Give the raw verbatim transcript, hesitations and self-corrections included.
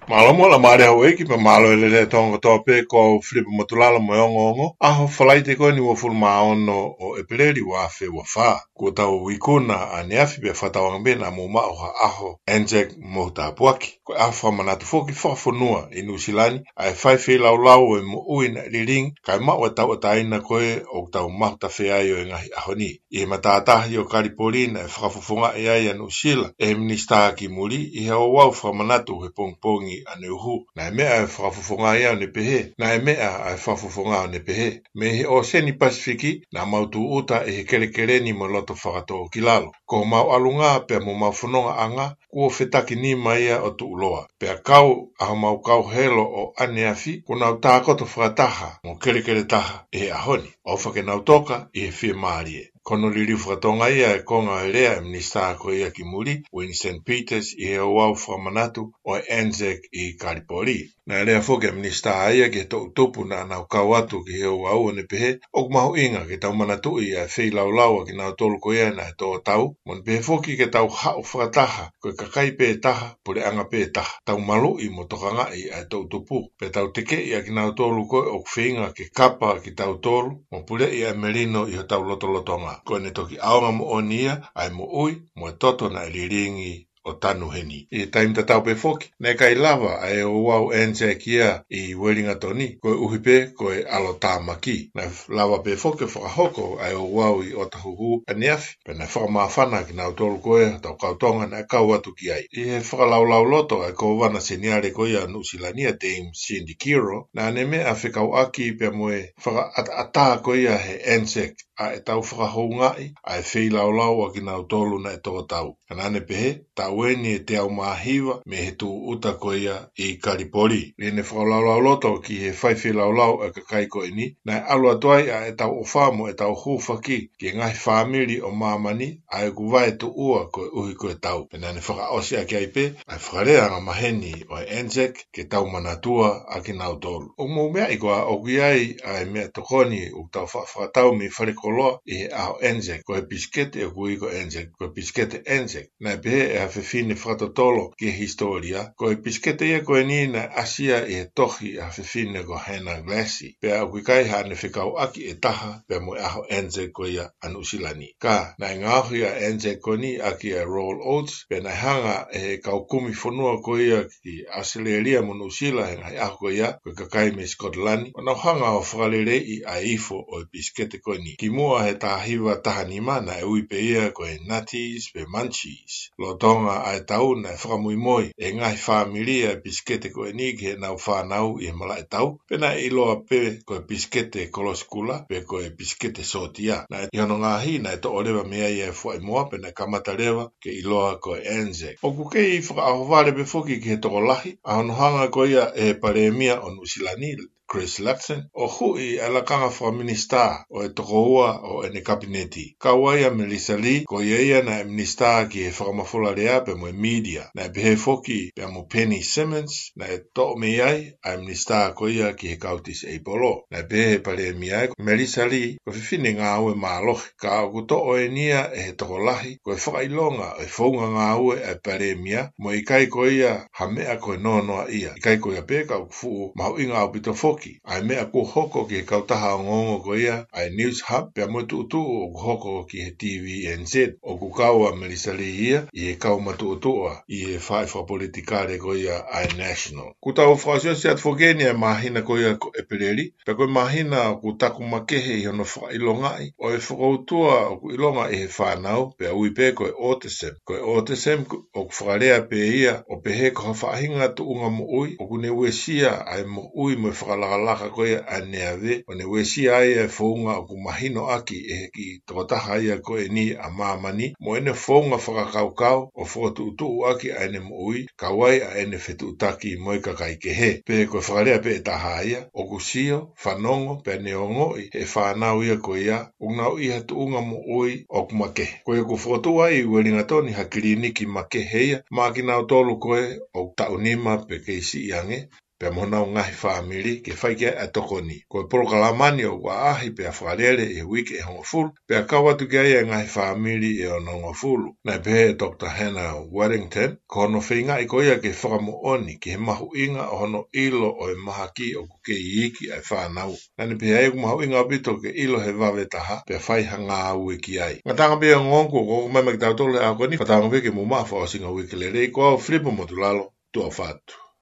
Mālō mo la mare hau eki pe mālō e lele e tonga kotoa pē, ko au Filipe Motulala mo e ongoongo ʻaho Falaite ko eni uofulu mā ono ʻo ʻEpeleli ua afe ua fā. Kuo tau ikuna ʻaneafi pea fakatauange pē naʻa mou maʻu ha ʻaho Anzac mo tāpuaki. Ko e ʻaho fakamanatu foki fakafonua ʻi Nuʻusila ni ʻa e fai feilaulau ʻo e moʻui naʻe lilingi kae maʻu e tauʻatāina ko ē ʻoku tau mahu tafe ai ʻo e ngaahi ʻaho ni. ʻI he matātahi ʻo Kalipoli naʻe fakafofongaʻi ai ʻa Nuʻusila ʻe he minisitā ki muli ʻi he ouau fakamanatu he pongipongi ʻaneuhu. Naʻe meʻa e fakafofonga ia ʻo ne pehē, naʻe meʻa ʻa e fakafofonga ʻo ne pehē, mei he ʻōseni Pasifiki naʻa mau tūʻuta ʻi he kelekele ni mo e loto fakatōkilalo. Ko homau ʻalunga pea mo homau fonongaʻanga kuo fetakinima ia ʻo tuʻuloa. Pea kau ʻa homau kau helo ʻo ʻaneafi kuo nau tākoto fakataha mo kelekele taha ʻi he ʻaho ni. ʻOfa ke nau toka ʻi he fiemālie. Ko hono liliu fakatonga ia e konga e lea e minisitā ko ia ki muli, Winston Peters, ʻi he ouau fakamanatu ʻo e Anzac ʻi Kalipoli. Naʻe lea foki e minisitā ia ki he toʻu tupu naʻa nau kau atu ki he ouau ʻo ne pehē, ʻoku mahuʻinga ke tau manatuʻi ʻa e feilaulau ʻa kinautolu ko ia naʻe tō tau, mo ne pehē foki ke tau haʻu fakataha ko e kakai pē taha, puleʻanga pē taha. Tau maluʻi mo tokangaʻi ʻa e toʻu tupu, pea tau tekeʻi ʻa kinautolu ko ē ʻoku feinga ke kapa kitautolu mo puleʻi ʻa e melino ʻi hotau lotolotonga. Ko ʻene toki ʻaonga moʻoni ia ʻa e moʻui mo e toto naʻe lilingi ʻo tanu heni. ʻI he taimi tatau pē foki, naʻe ʻikai lava ʻa e ouau Anzac ia ʻi Uelingatoni, koeʻuhi pē ko e ʻalotāmaki. Naʻe lava pē foki ʻo fakahoko ʻa e ouau ʻi ʻOtahuhu ʻaneafi, pea naʻe fakamāfana kinautolu ko ē hotau kau Tonga naʻe kau atu ki ai. ʻI he fakalaulauloto ʻa e Kōvana Seniale ko ia ʻo Nuʻusila ni, ʻa Dame Cindy Kiro, naʻa ne meʻa fekauʻaki pea mo e fakaʻataʻatā ko ia he Anzac, ʻa ʻetau fakahoungaʻi ʻa e feilaulau ʻa kinautolu naʻe tō tau. Ka naʻa ne pehē, taʻu eni ʻe teau mā hiva mei he tūʻuta ko ia ʻi Kalipoli. ʻI heʻene fakalaulauloto ki he fai feilaulau ʻa e kakai ko eni, naʻe ʻalu atu ai ʻa ʻetau ʻofa mo ʻetau hūfaki ki he ngaahi fāmili ʻo māmani ʻa ʻeku vaetuʻua koeʻuhi ko e tau. Pea naʻa ne fakaʻosi ʻaki ai pē ʻa e fakalea angamaheni ʻo e Anzac, ke tau manatua ʻa kinautolu. ʻOku mou meaʻi koā ʻoku ʻi ai ʻa e meʻa tokoni ʻoku tau faʻa fakatau mei falekoloa ʻi he ʻaho Anzac? Ko e pisikete ʻoku ui ko e Anzac, ko e pisikete Anzac. Naʻe pehē ʻe ha fefine fakatotolo ki he hisitōlia, ko e pisikete ia ko eni naʻe ʻasi ia ʻi he tohi ʻa ha fefine ko Hannah Glassie. Pea ʻoku ʻikai haʻane fekauʻaki ʻe taha pea mo e ʻaho Anzac ko ia ʻa Nuʻusila ni. Ka naʻe ngaohi ʻa e Anzac ko eni ʻaki ʻa e Royal Oats, pea naʻe hanga ʻe he kau kumi fonua ko ia ki ʻAositelēlia mo Nuʻusila he ngaahi ʻaho ko ia, ko e kakai mei Sikotilani, ʻo nau hanga ʻo fakaleleiʻi ʻa e ifo ʻo e pisikete ko eni. Kimuʻa he taha hiva taha nima naʻe ui pē ia ko e Nutties pe Munchies. Lolotonga ʻa e tau naʻe fakamoimoi ʻe he ngaahi fāmili ʻa e pisikete ko eni ki heʻenau fānau ʻi he malaʻe tau, pea naʻe ʻiloa pē ko e pisikete kolosi kula pe ko e pisikete sōtia. Naʻe ʻi hono ngaahi naʻe toʻo leva mei ai ʻa e fuaʻimoa pea naʻe kamata leva ke ʻiloa ko e Anzac. ʻOku kei fakaʻohovale pē foki ki he tokolahi ʻa hono hanga ko ia ʻe he Palēmia ʻo Nuʻusila ni, Chris Luxon, ʻo huʻi ʻa e lakanga fakaminisitā ʻo e toko ua ʻo ʻene kapineti. Kau ai ʻa Melissa Lee, ko ia ia naʻe minisitā ki he fakamafola lea pea mo e mītia. Naʻe pehē foki pea mo Penny Simmonds, naʻe toʻo mei ai ʻa e minisitā ko ia ki he kau tisiʻeipolo. Naʻe pehē ʻe he Palēmia, ko Melissa Lee ko e fefine ngāue mālohi, ka ʻoku toʻo eni ia ʻe he tokolahi ko e fakaʻilonga ʻo e founga ngāue ʻa e Palēmia, mo e ʻikai ko ia ha meʻa ko e noanoa ia. ʻIkai ko ia pē, ka ʻoku fuʻu mahuʻinga ʻaupito foki ʻa e meʻa kuo hoko ki he kautaha ongoongo ko ia ʻa e Newshub pea mo e tuʻutuʻu ʻoku hoko ki he T V N Z. ʻOku kau ʻa Melissa Lee ia ʻi he kau matuʻotuʻa ʻi he faʻahi fakapolitikale ko ia ʻa e National. Kuo tau fakaʻosiʻosi atu foki eni ʻa e māhina ko ia ko ʻEpeleli, pea ko e māhina ʻoku taku makehe ʻi hono fakaʻilongaʻi ʻo e fokoutua ʻoku ʻilonga ʻi he fānau, pea ui pē ko e autism. Ko e autism ʻoku fakalea pē ia ʻo pehē ko ha faʻahinga tuʻunga moʻui ʻoku ne uesia ʻa e moʻui mo e fakalakalaka ko ia ʻa e ave, ʻo ne uesia ai ʻa e founga ʻoku mahino ʻaki ʻe he kiʻi tokotaha ia ko eni ʻa māmani, mo ʻene founga fakakaukau ʻo fokotuʻutuʻu ʻaki ʻa ʻene moʻui, kau ai ʻa ʻene fetuʻutaki mo e kakai kehe. Pe ko e fakalea pē ʻe taha ia, ʻoku sio, fanongo, pea ne ongoʻi ʻe he fānau ia ko ia ʻoku nau ʻi ha tuʻunga moʻui ʻoku makehe. Ko ia kuo fokotuʻu ai ʻi Uelingatoni ha kiliniki makehe ia maʻa kinautolu ko ē ʻoku taʻu nima pe kei siʻi ange, pea mo honau ngaahi fāmili ke fai ki ai ʻa e tokoni. Ko e polokalama ni ʻoku ʻaʻahi pea fakalele ʻi he uike ʻe hongofulu, pea kau atu ki ai ʻa e ngaahi fāmili ʻe onongofulu. Naʻe pehē ʻe Doctor Hannah Waddington, ko hono feingaʻi ko ia ke fakamoʻoni ki he mahuʻinga ʻo hono ʻilo ʻo e mahaki ʻoku kei iiki ʻa e fānau. Naʻa ne pehē ai ʻoku mahuʻinga ʻaupito ke ʻilo he vave taha, pea fai ha ngāue ki ai. Ngataʻanga pē ʻa e ongoongo kuo hoko mai maʻa kitautolu he ʻaho ko eni, fakatauange pē ke mou maʻu ha fakaʻosinga uike lelei. Ko au Filipo Motulalo, tuʻa ʻofa atu.